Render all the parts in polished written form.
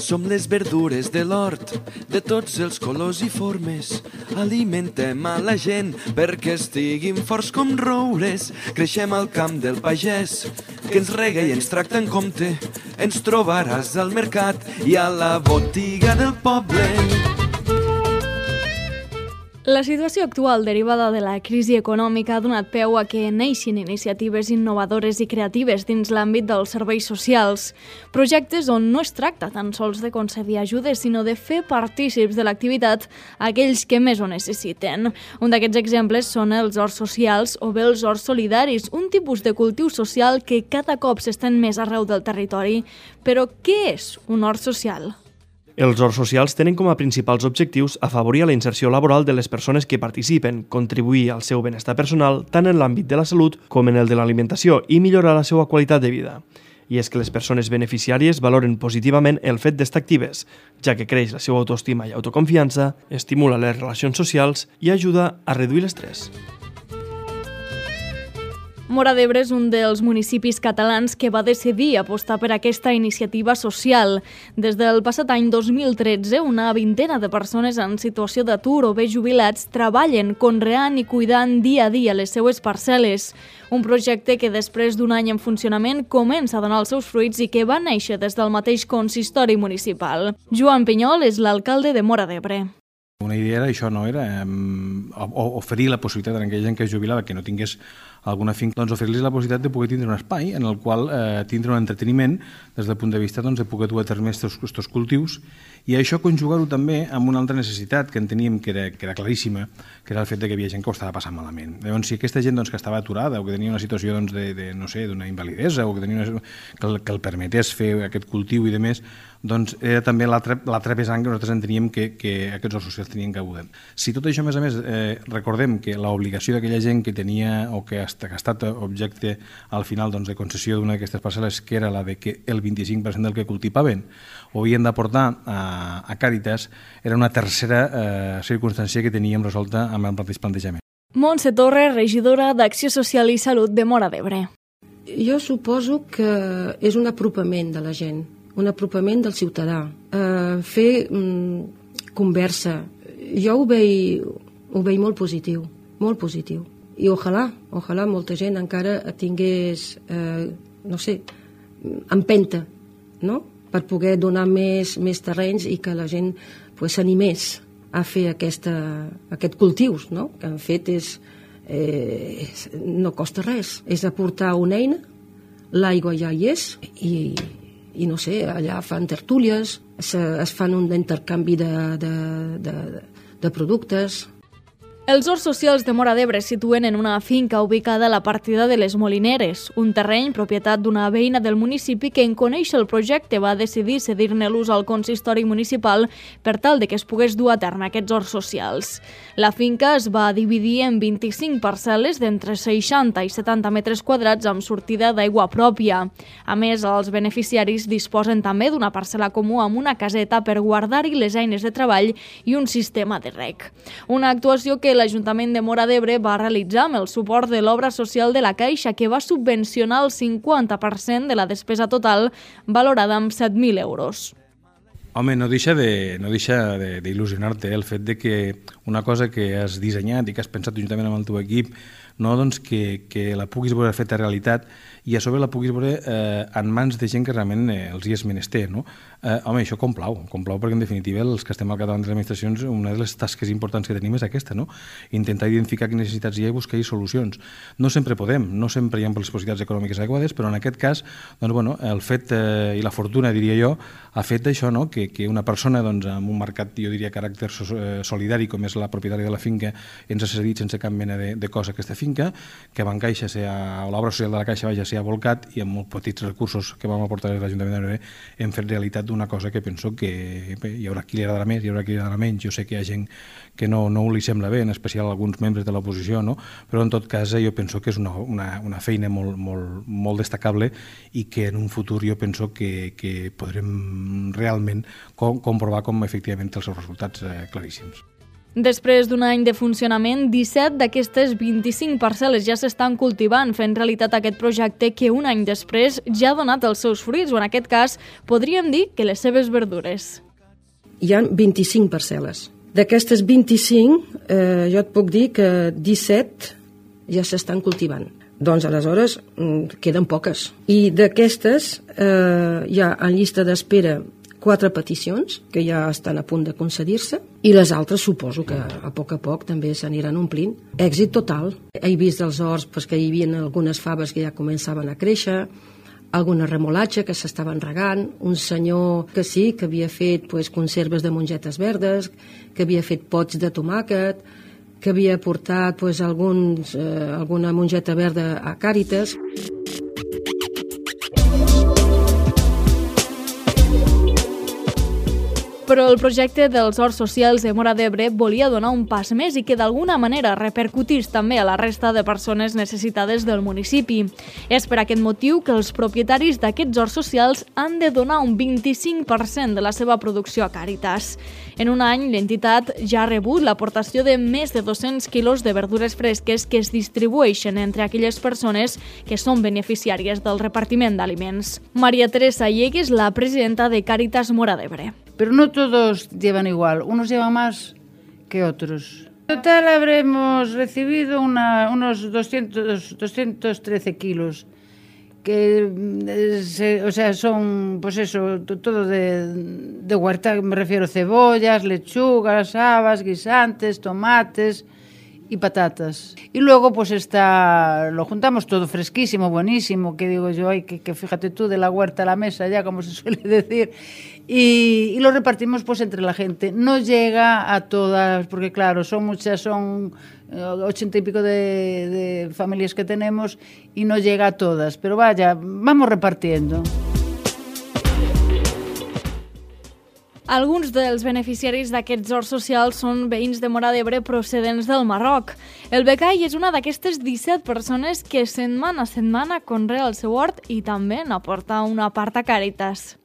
Som les verdures de l'hort, de tots els colors i formes. Alimentem a la gent perquè estiguin forts com roures. Creixem al camp del pagès, que ens rega i ens tracta en compte. Ens trobaràs al mercat i a la botiga del poble. La situació actual derivada de la crisi econòmica ha donat peu a que neixin iniciatives innovadores i creatives dins l'àmbit dels serveis socials. Projectes on no es tracta tan sols de concedir ajudes, sinó de fer partícips de l'activitat a aquells que més ho necessiten. Un d'aquests exemples són els horts socials o bé els horts solidaris, un tipus de cultiu social que cada cop s'estén més arreu del territori. Però què és un hort social? Els horts socials tenen com a principals objectius afavorir la inserció laboral de les persones que participen, contribuir al seu benestar personal tant en l'àmbit de la salut com en el de l'alimentació i millorar la seva qualitat de vida. I és que les persones beneficiàries valoren positivament el fet d'estar actives, ja que creix la seva autoestima i autoconfiança, estimula les relacions socials i ajuda a reduir l'estrès. Móra d'Ebre és un dels municipis catalans que va decidir apostar per aquesta iniciativa social. Des del passat any 2013, una vintena de persones en situació d'atur o bé jubilats treballen conreant i cuidant dia a dia les seues parcel·les. Un projecte que després d'un any en funcionament comença a donar els seus fruits i que va néixer des del mateix consistori municipal. Joan Pinyol és l'alcalde de Móra d'Ebre. Una idea era això, no? Era oferir la possibilitat a aquella gent que es jubilava que no tingués alguna finca, doncs oferir-los la possibilitat de poder tindre un espai en el qual tindre un entreteniment des del punt de vista de poder dur a terme aquests cultius i això conjugar-ho també amb una altra necessitat que enteníem que era claríssima, que era el fet que hi havia gent que ho estava passant malament. Llavors, si aquesta gent que estava aturada o que tenia una situació d'una invalidesa o que el permetés fer aquest cultiu i demés, doncs era també l'altre vessant que nosaltres enteníem que aquests horts socials tenien que abordar. Si tot això, a més, recordem que l'obligació d'aquella gent que tenia o que ha estat objecte al final de concessió d'una d'aquestes parcel·les, que era la de que el 25% del que cultivaven ho havien d'aportar a Càritas, era una tercera circumstància que teníem resolta amb el mateix plantejament. Montse Torres, regidora d'Acció Social i Salut de Móra d'Ebre. Jo suposo que és un apropament de la gent, un apropament del ciutadà, fer conversa. Jo ho veig molt positiu, molt positiu. I ojalà molta gent encara tingués, empenta, no?, per poder donar més terrenys i que la gent s'animés a fer aquests cultius, no?, que en fet no costa res. És aportar una eina, l'aigua ja hi és i no sé, allà fan tertúlies, es fan un intercanvi de productes. Els horts socials de Móra d'Ebre es situen en una finca ubicada a la partida de les Molineres, un terreny propietat d'una veïna del municipi que en conèixer el projecte va decidir cedir-ne l'ús al consistori municipal per tal de que es pogués dur a terme aquests horts socials. La finca es va dividir en 25 parcel·les d'entre 60 i 70 metres quadrats amb sortida d'aigua pròpia. A més, els beneficiaris disposen també d'una parcel·la comú amb una caseta per guardar-hi les eines de treball i un sistema de reg. Una actuació que l'Ajuntament de Móra d'Ebre va realitzar amb el suport de l'obra social de la Caixa, que va subvencionar el 50% de la despesa total, valorada amb 7.000 euros. Home, no deixa d'il·lusionar-te el fet de que una cosa que has dissenyat i que has pensat juntament amb el teu equip, que la puguis veure feta realitat i a sobre la puguis veure en mans de gent que realment els hi és menester, no? Home, això complau perquè en definitiva els que estem al capdavant de les administracions, una de les tasques importants que tenim és aquesta, no? Intentar identificar quines necessitats hi ha i buscar-hi solucions. No sempre podem, no sempre hi ha les possibilitats econòmiques adequades, però en aquest cas, el fet i la fortuna, diria jo, ha fet això, no?, que una persona amb un marcat, jo diria, caràcter solidari, com és la propietària de la finca, ens ha cedit sense cap mena de cosa aquesta finca, que Bancaixa, l'obra social de la Caixa s'hi ha volcat i amb molt petits recursos que vam aportar des de l'Ajuntament de Móra hem fet realitat una cosa que penso que hi haurà qui li agradarà més, hi haurà qui li agradarà menys. Jo sé que hi ha gent que no li sembla bé, en especial alguns membres de l'oposició, no? Però en tot cas jo penso que és una feina molt destacable i que en un futur jo penso que podrem realment comprovar com efectivament té els seus resultats claríssims. Després d'un any de funcionament, 17 d'aquestes 25 parcel·les ja s'estan cultivant, fent realitat aquest projecte que un any després ja ha donat els seus fruits, o en aquest cas podríem dir que les seves verdures. Hi ha 25 parcel·les. D'aquestes 25, jo et puc dir que 17 ja s'estan cultivant. Doncs aleshores queden poques. I d'aquestes hi ha en llista d'espera 4 peticions que ja estan a punt de concedir-se i les altres suposo que a poc també s'aniran omplint. Èxit total. He vist dels horts que hi havia algunes faves que ja començaven a créixer, alguna remolatxa que s'estaven regant, un senyor que sí, que havia fet conserves de mongetes verdes, que havia fet pots de tomàquet, que havia portat alguna mongeta verda a Càritas. Però el projecte dels horts socials de Móra d'Ebre volia donar un pas més i que d'alguna manera repercutís també a la resta de persones necessitades del municipi. És per aquest motiu que els propietaris d'aquests horts socials han de donar un 25% de la seva producció a Càritas. En un any, l'entitat ja ha rebut l'aportació de més de 200 quilos de verdures fresques que es distribueixen entre aquelles persones que són beneficiàries del repartiment d'aliments. Maria Teresa Llegues, la presidenta de Càritas Móra d'Ebre. Pero no todos llevan igual, unos llevan más que otros. En total habremos recibido unos 213 kilos, que son, todo de huerta, me refiero cebollas, lechugas, habas, guisantes, tomates y patatas. Y luego lo juntamos todo fresquísimo, buenísimo, que digo yo, que fíjate tú, de la huerta a la mesa ya, como se suele decir, y lo repartimos entre la gente. No llega a todas, porque claro, son muchas, son 80 y pico de familias que tenemos y no llega a todas, pero vaya, vamos repartiendo. Alguns dels beneficiaris d'aquests horts socials són veïns de Móra d'Ebre procedents del Marroc. El becai és una d'aquestes 17 persones que setmana a setmana conrea el seu hort i també n'aporta una part a Càritas.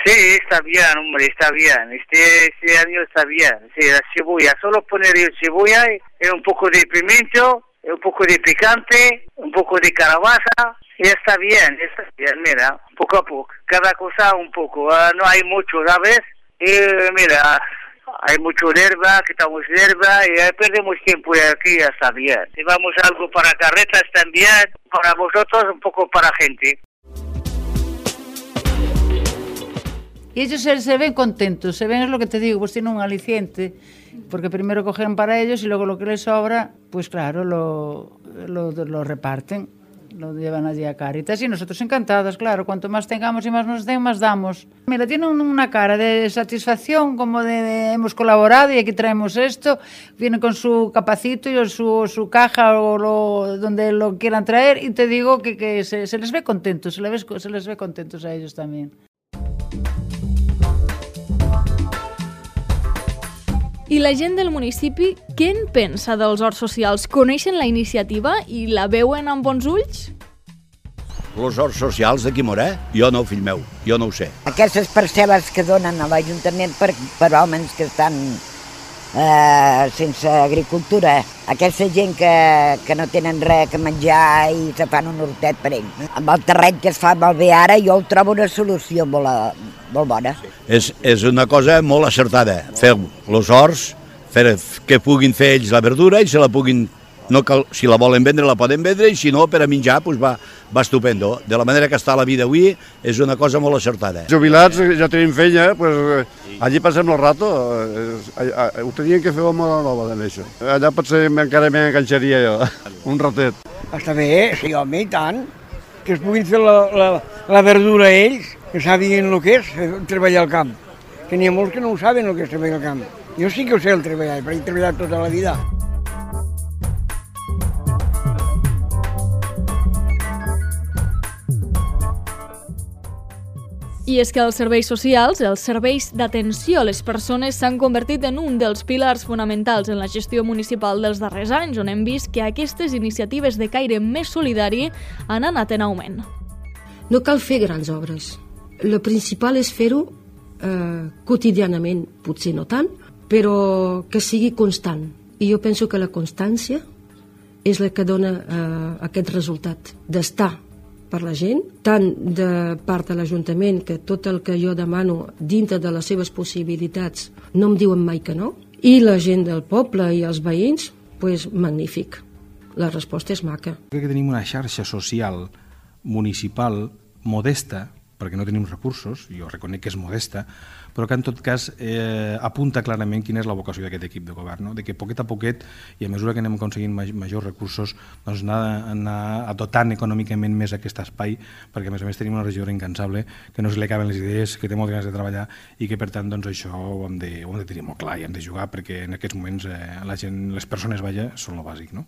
Sí, está bien, hombre, está bien. Este año está bien. Sí, la cebolla, solo poner cebolla y un poco de pimiento, un poco de picante, un poco de calabaza. Y está bien, mira, poco a poco. Cada cosa un poco, no hay mucho, ¿sabes? Y mira, hay mucho hierba, quitamos hierba y perdemos tiempo y aquí ya está bien. Llevamos algo para carretas también, para vosotros, un poco para gente. Y ellos se ven contentos, se ven, es lo que te digo, pues tienen un aliciente, porque primero cogen para ellos y luego lo que les sobra, pues claro, lo reparten, lo llevan allí a Càritas y nosotros encantadas, claro, cuanto más tengamos y más nos den, más damos. Mira, tienen una cara de satisfacción, como de hemos colaborado y aquí traemos esto, vienen con su capacito y su caja o donde lo quieran traer y te digo que se les ve contentos, se les ve contentos a ellos también. I la gent del municipi, què en pensa dels horts socials? Coneixen la iniciativa i la veuen amb bons ulls? Els horts socials d'aquí Móra? Jo no, fill meu, jo no ho sé. Aquestes parcel·les que donen a l'Ajuntament per homes que estan sense agricultura, aquesta gent que no tenen res que menjar i se fan un hortet per ells. Amb el terreny que es fa malbé ara, jo ho trobo una solució molt bona. És una cosa molt acertada. Feu els horts, que puguin fer ells la verdura i se la puguin... Si la volen vendre, la poden vendre, i si no, per a menjar, va estupendo. De la manera que està la vida avui, és una cosa molt acertada. Jubilats, ja tenim feina, allí passem el rato. Ho tenien que fer a Móra Nova, d'això. Allà potser encara m'enganxaria jo, un ratet. Està bé, sí, home, i tant. Que es puguin fer la verdura ells, que sàpiguen el que és treballar al camp. Que n'hi ha molts que no ho saben el que és treballar al camp. Jo sí que ho sé el treballar, perquè he treballat tota la vida. I és que els serveis socials, els serveis d'atenció a les persones s'han convertit en un dels pilars fonamentals en la gestió municipal dels darrers anys, on hem vist que aquestes iniciatives de caire més solidari han anat en augment. No cal fer grans obres. El principal és fer-ho quotidianament, potser no tant, però que sigui constant. I jo penso que la constància és la que dona aquest resultat, d'estar per la gent, tant de part de l'Ajuntament, que tot el que jo demano dintre de les seves possibilitats no em diuen mai que no, i la gent del poble i els veïns, doncs magnífic. La resposta és maca. Crec que tenim una xarxa social municipal modesta, perquè no tenim recursos, jo reconec que és modesta, però que en tot cas apunta clarament quina és la vocació d'aquest equip de govern, no? De que poquet a poquet, i a mesura que anem aconseguint majors recursos, doncs anar dotant econòmicament més aquest espai, perquè a més tenim una regidora incansable, que no se li acaben les idees, que té moltes ganes de treballar i que per tant doncs, això ho hem de tenir molt clar i hem de jugar, perquè en aquests moments la gent, les persones, són el bàsic, no?